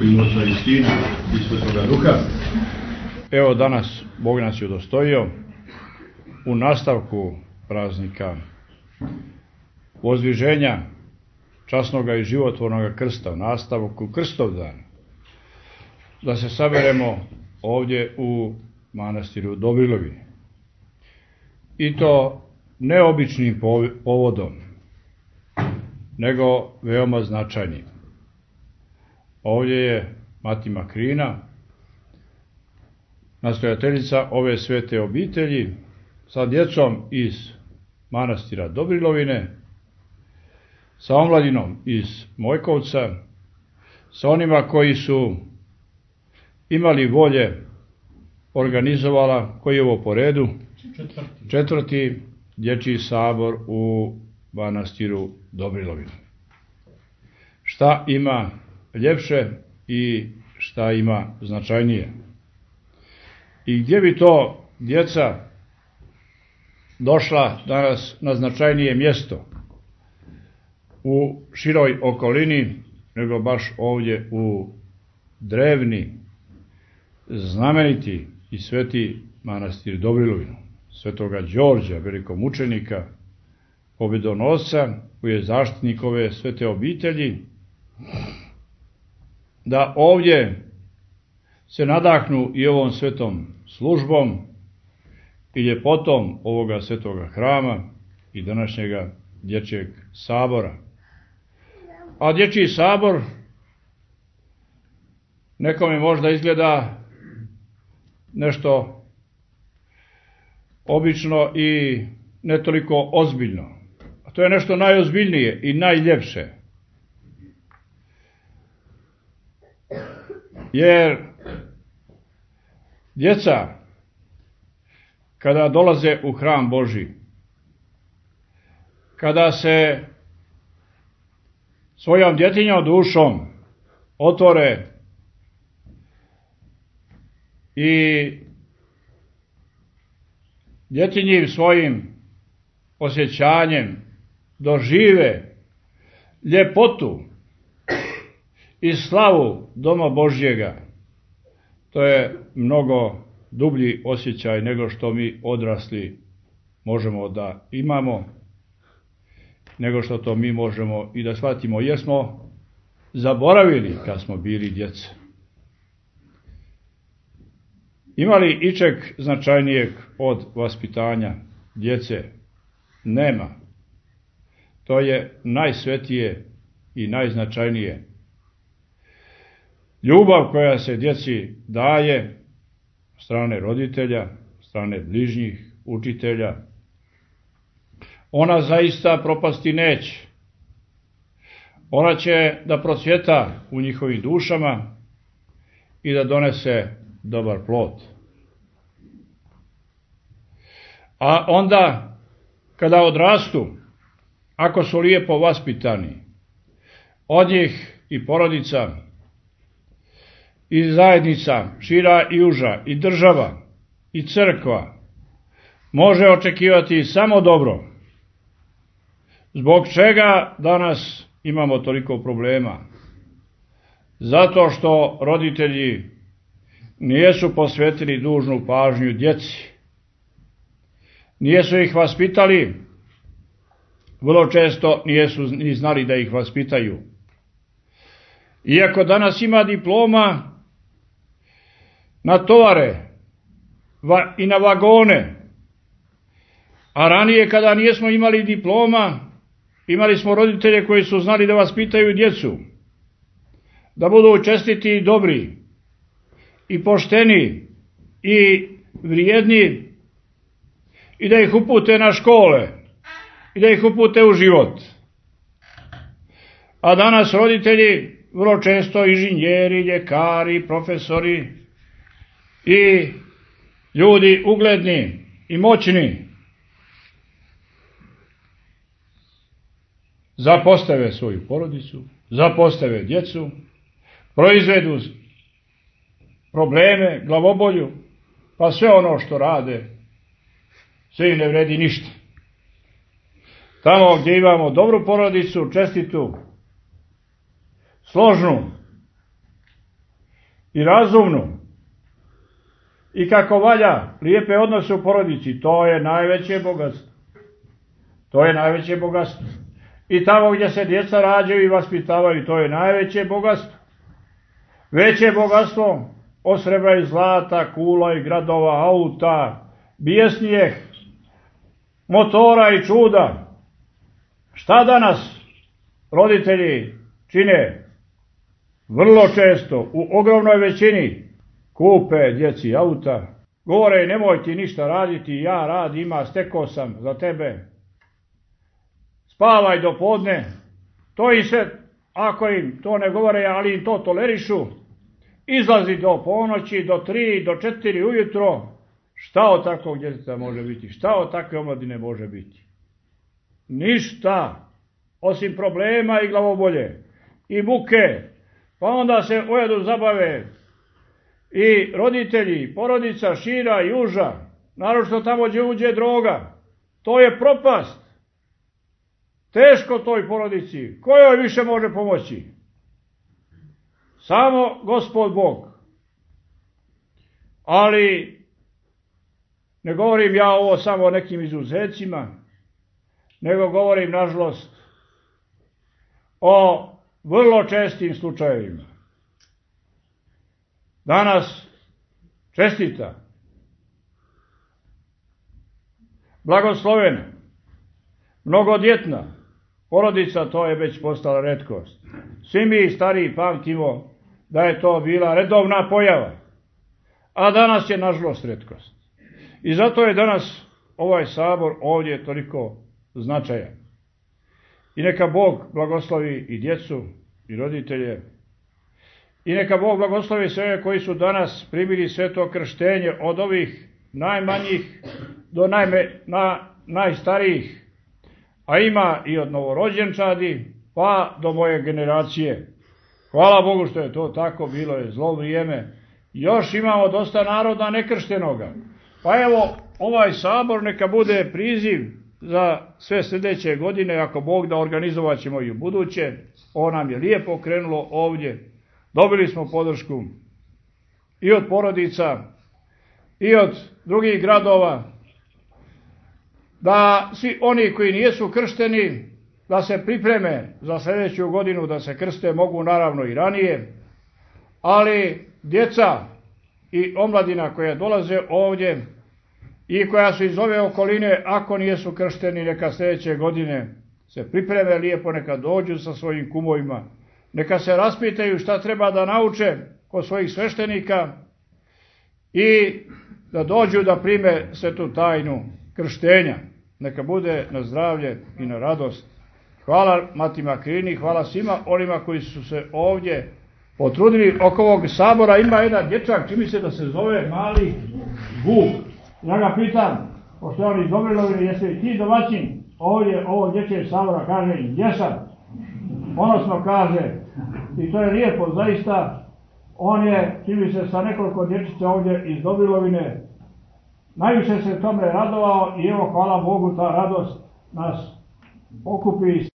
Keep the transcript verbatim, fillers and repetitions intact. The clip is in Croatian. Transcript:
I Oca i Sina i Svetoga Duha. Evo danas Bog nas je udostojio u nastavku praznika Vozdviženja časnoga i životvornoga krsta, u nastavku Krstovdan, da se saberemo ovdje u manastiru Dobrilovi. I to neobičnim povodom, nego veoma značajnim. Ovdje je Mati Makrina, nastojateljica ove svete obitelji, sa djecom iz manastira Dobrilovine, sa omladinom iz Mojkovca, sa onima koji su imali volje, organizovala, koji je ovo po redu, četvrti, četvrti dječji sabor u manastiru Dobrilovine. Šta ima ljepše i šta ima značajnije? I gdje bi to djeca došla danas na značajnije mjesto u široj okolini, nego baš ovdje u drevni, znameniti i sveti manastir Dobrilovinu, svetoga Đorđa, velikomučenika, pobjedonosca, koji je zaštitnik ove svete obitelji, da ovdje se nadahnu i ovom svetom službom i ljepotom ovoga svetoga hrama i današnjega dječjeg sabora. A dječji sabor nekome možda izgleda nešto obično i ne toliko ozbiljno. A to je nešto najozbiljnije i najljepše. Jer djeca, kada dolaze u hram Božji, kada se svojom djetinjom dušom otvore i djetinjim svojim osjećanjem dožive ljepotu i slavu doma Božjega, to je mnogo dublji osjećaj nego što mi odrasli možemo da imamo, nego što to mi možemo i da shvatimo, jer smo zaboravili kad smo bili djeca. Ima li ičeg značajnijeg od vaspitanja djece? Nema. To je najsvetije i najznačajnije. Ljubav koja se djeci daje od strane roditelja, od strane bližnjih, učitelja, ona zaista propasti neće. Ona će da procvjeta u njihovim dušama i da donese dobar plod. A onda, kada odrastu, ako su lijepo vaspitani, od njih i porodica, i zajednica, šira i uža, i država, i crkva, može očekivati samo dobro. Zbog čega danas imamo toliko problema? Zato što roditelji nijesu posvetili dužnu pažnju djeci. Nijesu ih vaspitali, vrlo često nijesu ni znali da ih vaspitaju. Iako danas ima diploma na tovare i na vagone, a ranije kada nijesmo imali diploma, imali smo roditelje koji su znali da vaspitaju djecu, da budu čestiti i dobri, i pošteni, i vrijedni, i da ih upute na škole, i da ih upute u život. A danas roditelji, vrlo često inženjeri, ljekari, profesori i ljudi ugledni i moćni, zapostave svoju porodicu, zapostave djecu, proizvedu probleme, glavobolju, pa sve ono što rade, sve im ne vredi ništa. Tamo gdje imamo dobru porodicu, čestitu, složnu, i razumnu i kako valja lijepe odnose u porodici, to je najveće bogatstvo. To je najveće bogatstvo. I tamo gdje se djeca rađaju i vaspitavaju, to je najveće bogatstvo. Veće bogatstvo od srebra i zlata, kula i gradova, auta, bijesnijeg, motora i čuda. Šta danas roditelji čine? Vrlo često, u ogromnoj većini, kupe djeci auta. Govore, nemoj ti ništa raditi, ja rad ima, stekao sam za tebe. Spavaj do podne. To i sve, ako im to ne govore, ali im to tolerišu, izlazi do ponoći, do tri, do četiri ujutro. Šta od takvog djeteta može biti? Šta od takve omladine može biti? Ništa, osim problema i glavobolje i muke. Pa onda se ojedu zabave i roditelji, porodica šira i uža, naročito tamo gdje uđe droga. To je propast. Teško toj porodici. Ko joj više može pomoći? Samo Gospod Bog. Ali ne govorim ja ovo samo o nekim izuzecima, nego govorim, nažalost, o vrlo čestim slučajevima. Danas čestita, blagoslovena, mnogodjetna porodica, to je već postala retkost. Svi mi stariji pamtimo da je to bila redovna pojava, a danas je nažalost retkost. I zato je danas ovaj sabor ovdje toliko značajan. I neka Bog blagoslovi i djecu i roditelje. I neka Bog blagoslovi sve koji su danas primili sveto krštenje, od ovih najmanjih do najme, na, najstarijih. A ima i od novorođenčadi pa do moje generacije. Hvala Bogu što je to tako, bilo je zlo vrijeme. Još imamo dosta naroda nekrštenoga. Pa evo, ovaj sabor neka bude priziv za sve sljedeće godine, ako Bog da, organizovat ćemo i u buduće. Ovo nam je lijepo krenulo ovdje. Dobili smo podršku i od porodica i od drugih gradova, da svi oni koji nisu kršteni, da se pripreme za sljedeću godinu da se krste, mogu naravno i ranije, ali djeca i omladina koja dolaze ovdje i koja su iz ove okoline, ako nisu kršteni, neka sljedeće godine se pripreme lijepo, neka dođu sa svojim kumovima, neka se raspitaju šta treba da nauče kod svojih sveštenika i da dođu da prime svetu tajnu krštenja. Neka bude na zdravlje i na radost. Hvala Mati Makrini, hvala svima onima koji su se ovdje potrudili. Oko ovog sabora ima jedan dječak, čini se da se zove Mali Vuk. Ja ga pitam, pošto je on iz Dobrilovine, jesi li ti domaćin ovdje ovog dječjeg sabora? Kaže, jesam. Ponosno kaže, i to je lijepo zaista. On je, čini se, sa nekoliko dječica ovdje iz Dobrilovine. Najviše se tome radovao i evo, hvala Bogu, ta radost nas okupi.